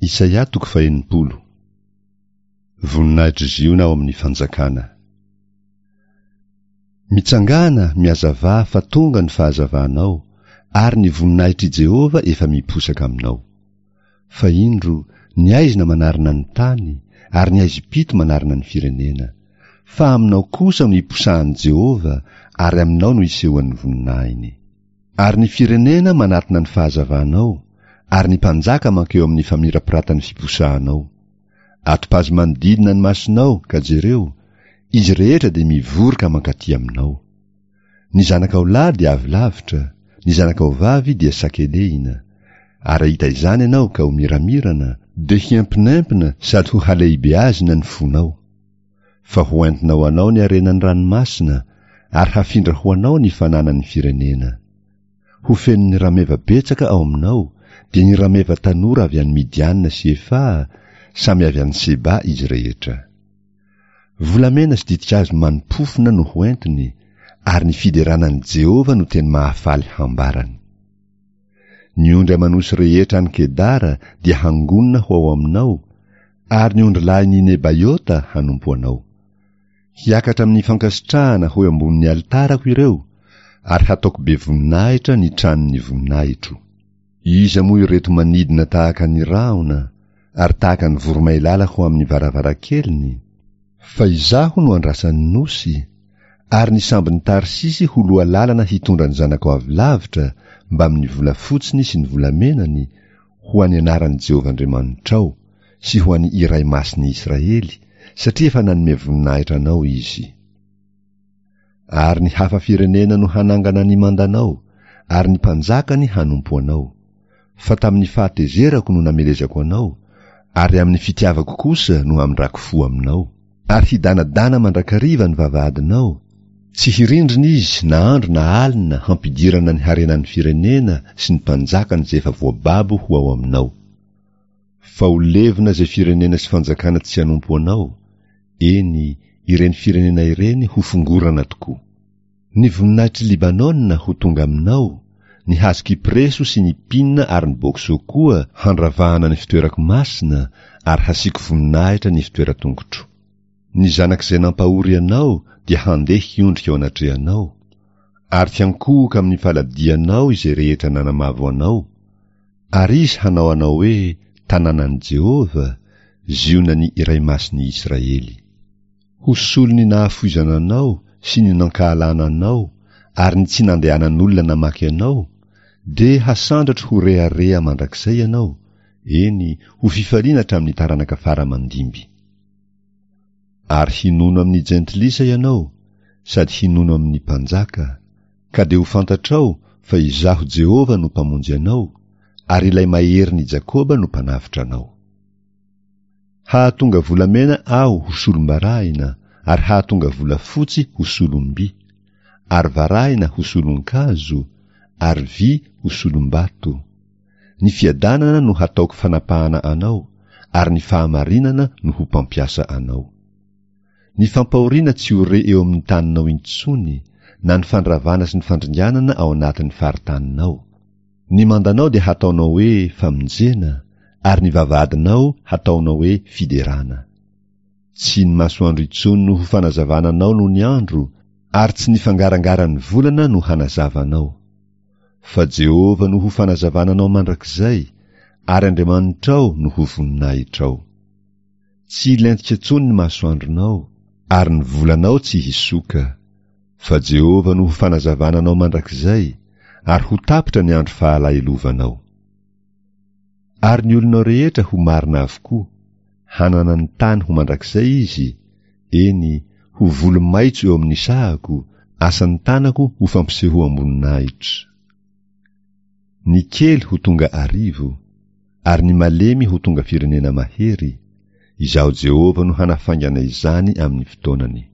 Isaia toko fahenipolo. Voninahitr'i Ziona ao amin'ny fanjakana. Mitsangàna, mihazavà fa tonga ny fahazavanao, ary ny voninahitr'i Jehovah efa miposaka aminao. Fa indro, ny aizina manarona ny tany, ary ny aizim-pito manarona ny firenena. Fa aminao kosa no iposahan'i Jehovah, ary aminao no isehoan'ny voninahiny. Ary ny firenena manatona ny fahazavanao, ary ny mpanjaka mankeo amin'ny famirapiratan'ny fiposahanao. Atopazo manodidina ny masonao, ka jereo, izy rehetra dia mivory ka mankaty aminao. Ny zanakao lahy dia avy lavitra, ny zanakao vavy dia sakelehina. Ary hahita izany ianao ka ho miramirana, dia hiempinempina sady ho halehibeazina ny fonao. Fa ho entina ho anao ny harenan'ny ranomasina, ary hafindra ho anao ny fananan'ny firenena. Ho fenon'ny rameva betsaka ao aminao, dia ny rameva tanora avy any Midiana sy Efaha, samy avy any Seba izy rehetra. Volamena sy ditin-kazo mani-pofona no ho entiny, ary ny fiderana an'i Jehovah no teny mahafaly hambarany. Ny ondry aman'osy rehetra any Kedara dia hangonina ho ao aminao, ary ny ondrilahin'i Nebaiota hanompo anao. Hiakatra amin'ny fankasitrahana ho eo ambonin'ny alitarako ireo, ary hataoko be voninahitra ny tranon'ny voninahitro. Iza moa ireto manidina tahaka ny rahona, ary tahaka ny voromailala ho amin'ny varavarankeliny? Fa izaho no andrasan'ny nosy, ary ny sambon'i Tarsisy ho lohalalana hitondra ny zanako avy lavitra mbamin'ny volafotsiny sy ny volamenany ho an'ny anaran'i Jehovah Andriamanitrao sy ho an'ny Iray Masin'ny Israely, satria efa nanome voninahitra anao Izy. Ary ny hafa firenena no hanangana ny mandanao, ary ny mpanjakany hanompo anao. Fa tamin'ny fahatezerako no namelezako anao, ary amin'ny fitiavako kosa no hamindrako fo aminao. Ary hidanadana mandrakariva ny vavahadinao, tsy hirindrina izy na andro na alina hampidirana ny harenan'ny firenena sy ny mpanjakany izay efa voababo ho ao aminao. Fa ho levona izay firenena sy fanjakana tsy hanompo anao, eny, ireny firenena ireny ho fongorana tokoa. Ny voninahitr'i Libanona ho tonga aminao, ny hazo kypreso sy ny pina ary ny bokso koa handravahana ny fitoerako masina ary hasiako voninahitra ny fitoeran-tongotro. Ny zanak'izay nampahory anao dia handeha hiondrika eo anatrehanao, ary hiankohoka amin'ny faladianao izay rehetra nanamavo anao, ary izy hanao anao hoe tanànan'i Jehovah, Zionan'ny Iray Masin'i Israely. Ho solon'ny nahafoizana anao sy ny nankahalana anao ary ny tsy nandehanan'olona namaky anao, dia hasandratro ho rehareha mandrakizay ianao, eny, ho fifaliana hatramin'ny taranaka fara aman-dimby. Ary hinono amin'ny jentilisa ianao, sady hinono amin'ny mpanjaka, ka dia ho fantatrao fa Izaho Jehovah no Mpamonjy anao, ary Ilay Maherin'i Jakoba no Mpanavotra anao. Hahatonga volamena Aho ho solom-barahina ary hahatonga volafotsy ho solom-by, ary varahina ho solon-kazo, ary vy ho solom-bato. Ny fiadanana no hataoko fanapahana anao, ary ny fahamarinana no ho mpampiasa anao. Ny fampahoriana tsy ho re eo amin'ny taninao intsony, na ny fandravana sy ny fandringanana ao anatin'ny faritaninao. Ny mandanao dia hataonao hoe famonjena, ary ny vavahadinao hataonao hoe fiderana. Tsy ny masoandro intsony no ho fanazavana anao nony andro, ary tsy ny fangarangaran'ny volana no hanazava anao. Fa Jehovah no ho fanazavana anao mandrakizay, ary Andriamanitrao no ho voninahitrao. Tsy hilentika intsony ny masoandronao, ary ny volanao tsy hisoka. Fa Jehovah no ho fanazavana anao mandrakizay, ary ho tapitra ny andro fahalahelovanao. Ary ny olonao rehetra ho marina avokoa, hanana ny tany ho mandrakizay izy, eny, ho voly maitso eo amin'ny sahako, asan'ny tanako ho fampisehoam-boninahitra. Ny kely ho tonga arivo, ary ny malemy ho tonga firenena mahery, Izaho Jehovah no hanafaingana izany amin'ny fotoanany.